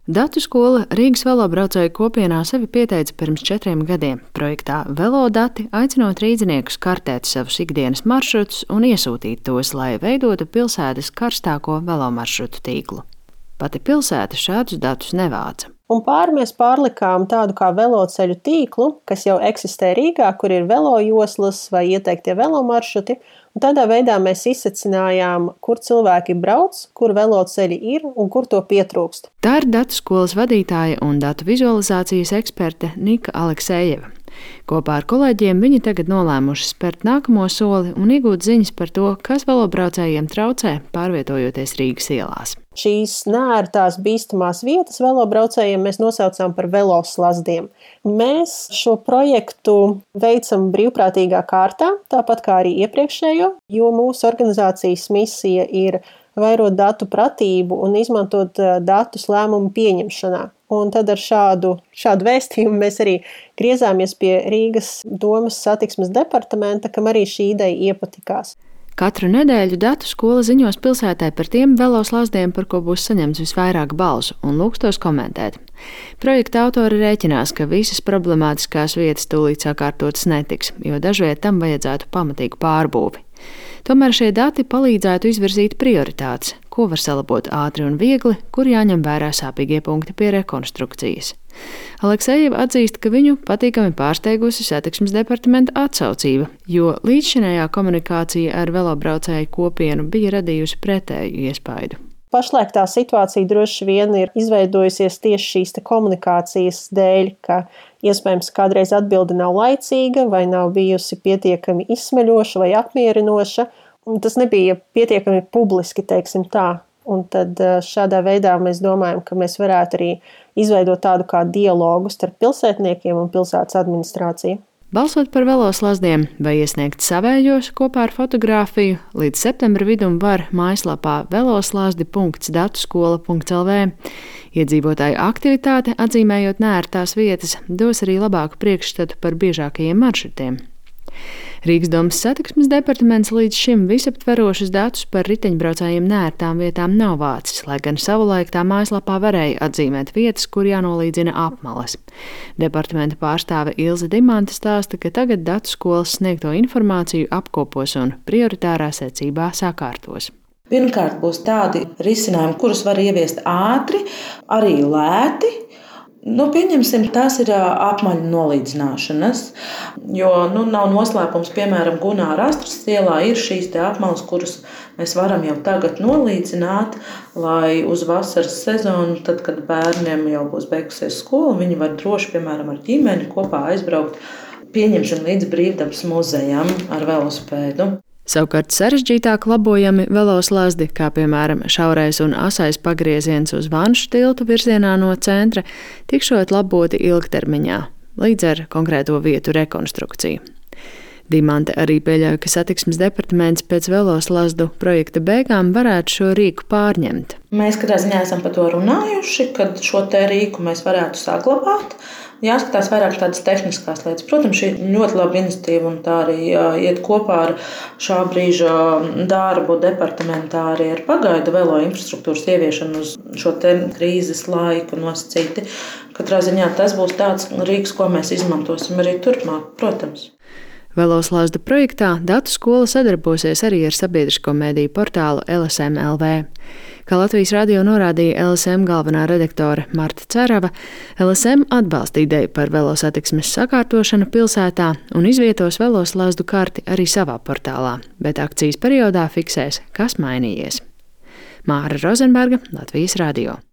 Datu skola Rīgas velobraucēju kopienā sevi pieteica pirms 4 gadiem. Projektā Velodati aicinot rīdziniekus kartēt savus ikdienas maršrutus un iesūtīt tos, lai veidotu pilsētas karstāko velomaršrutu tīklu. Pati pilsēta šādus datus nevāca. Un mēs pārlikām tādu kā veloceļu tīklu, kas jau eksistē Rīgā, kur ir velojoslas vai ieteiktie velomaršruti. Un tādā veidā mēs izsecinājām, kur cilvēki brauc, kur veloceļi ir un kur to pietrūkst. Tā ir datu skolas vadītāja un datu vizualizācijas eksperte Nika Aleksejeva. Kopā ar kolēģiem viņi tagad nolēmuši spērt nākamo soli un iegūt ziņas par to, kas velobraucējiem traucē, pārvietojoties Rīgas ielās. Šīs neērtās bīstamās vietas velobraucējiem mēs nosaucām par veloslazdiem. Mēs šo projektu veicam brīvprātīgā kārtā, tāpat kā arī iepriekšējo, jo mūsu organizācijas misija ir vairot datu pratību un izmantot datus lēmumu pieņemšanā. Un tad ar šādu vēstījumu mēs arī griezāmies pie Rīgas domas satiksmes departamenta, kam arī šī ideja iepatikās. Katru nedēļu datu skola ziņos pilsētai par tiem veloslazdiem, par ko būs saņemts visvairāk balsu, un lūgs tos komentēt. Projekta autori rēķinās, ka visas problemātiskās vietas tūlīt sakārtotas netiks, jo dažviet tam vajadzētu pamatīgu pārbūvi. Tomēr šie dati palīdzētu izvirzīt prioritātes, ko var salabot ātri un viegli, kur jāņem vērā sāpīgie punkti pie rekonstrukcijas. Aleksejeva atzīst, ka viņu patīkami pārsteigusi satiksmes departamenta atsaucība, jo līdzšinējā komunikācija ar velobraucēju kopienu bija radījusi pretēju iespaidu. Pašlaik tā situācija droši vien ir izveidojusies tieši šīs komunikācijas dēļ, ka iespējams kādreiz atbilde nav laicīga vai nav bijusi pietiekami izsmeļoša vai apmierinoša, un tas nebija pietiekami publiski, teiksim tā. Un tad šādā veidā mēs domājam, ka mēs varētu arī izveidot tādu kā dialogu starp pilsētniekiem un pilsētas administrāciju. Balsot par veloslazdiem vai iesniegt savējos kopā ar fotogrāfiju, līdz septembra vidum var mājaslapā veloslazdi.datuskola.lv. Iedzīvotāju aktivitāte, atzīmējot neērtās vietas, dos arī labāku priekšstatu par biežākajiem maršrutiem. Rīgas domas satiksmes departaments līdz šim visaptverošus datus par riteņbraucējiem neērtām vietām nav vācis, lai gan savulaik tā mājaslapā varēja atzīmēt vietas, kur jānolīdzina apmales. Departamenta pārstāve Ilze Dimante stāsta, ka tagad datu skolas sniegto informāciju apkopos un prioritārā secībā sakārtos. Pirmkārt būs tādi risinājumi, kurus var ieviest ātri, arī lēti. Pieņemsim, tās ir apmaļu nolīdzināšanas, jo nav noslēpums, piemēram, Gunāra Astras ielā ir šīs apmales, kuras mēs varam jau tagad nolīdzināt, lai uz vasaras sezonu, tad, kad bērniem jau būs beigusies skola, viņi var droši, piemēram, ar ģimeni kopā aizbraukt, pieņemsim līdz Brīvdabas muzejam ar velospēdu. Savukārt sarežģītāk labojami veloslazdi, kā piemēram šaurais un asais pagrieziens uz Vanšu tiltu virzienā no centra, tikšot laboti ilgtermiņā, līdz ar konkrēto vietu rekonstrukciju. Dimante arī pieļauj, ka satiksmes departaments pēc veloslazdu projekta beigām varētu šo rīku pārņemt. Mēs katrā ziņā esam par to runājuši, kad šo te rīku mēs varētu saglabāt. Jāskatās vairāk tādas tehniskās lietas. Protams, šī ir ļoti laba iniciatīva un tā arī iet kopā ar šā brīža darbu departamentā arī ar pagaidu velo infrastruktūras ieviešanu uz šo te krīzes laiku nosacīti. Katrā ziņā tas būs tāds rīks, ko mēs izmantosim arī turpmāk, protams. Veloslazdu projektā datu skola sadarbosies arī ar sabiedrisko mediju portālu LSM.LV. Kā Latvijas radio norādīja LSM galvenā redaktore Marta Cerava, LSM atbalsta ideju par velosatiksmes sakārtošanu pilsētā un izvietos veloslazdu karti arī savā portālā, bet akcijas periodā fiksēs, kas mainījies. Māra Rozenberga, Latvijas radio.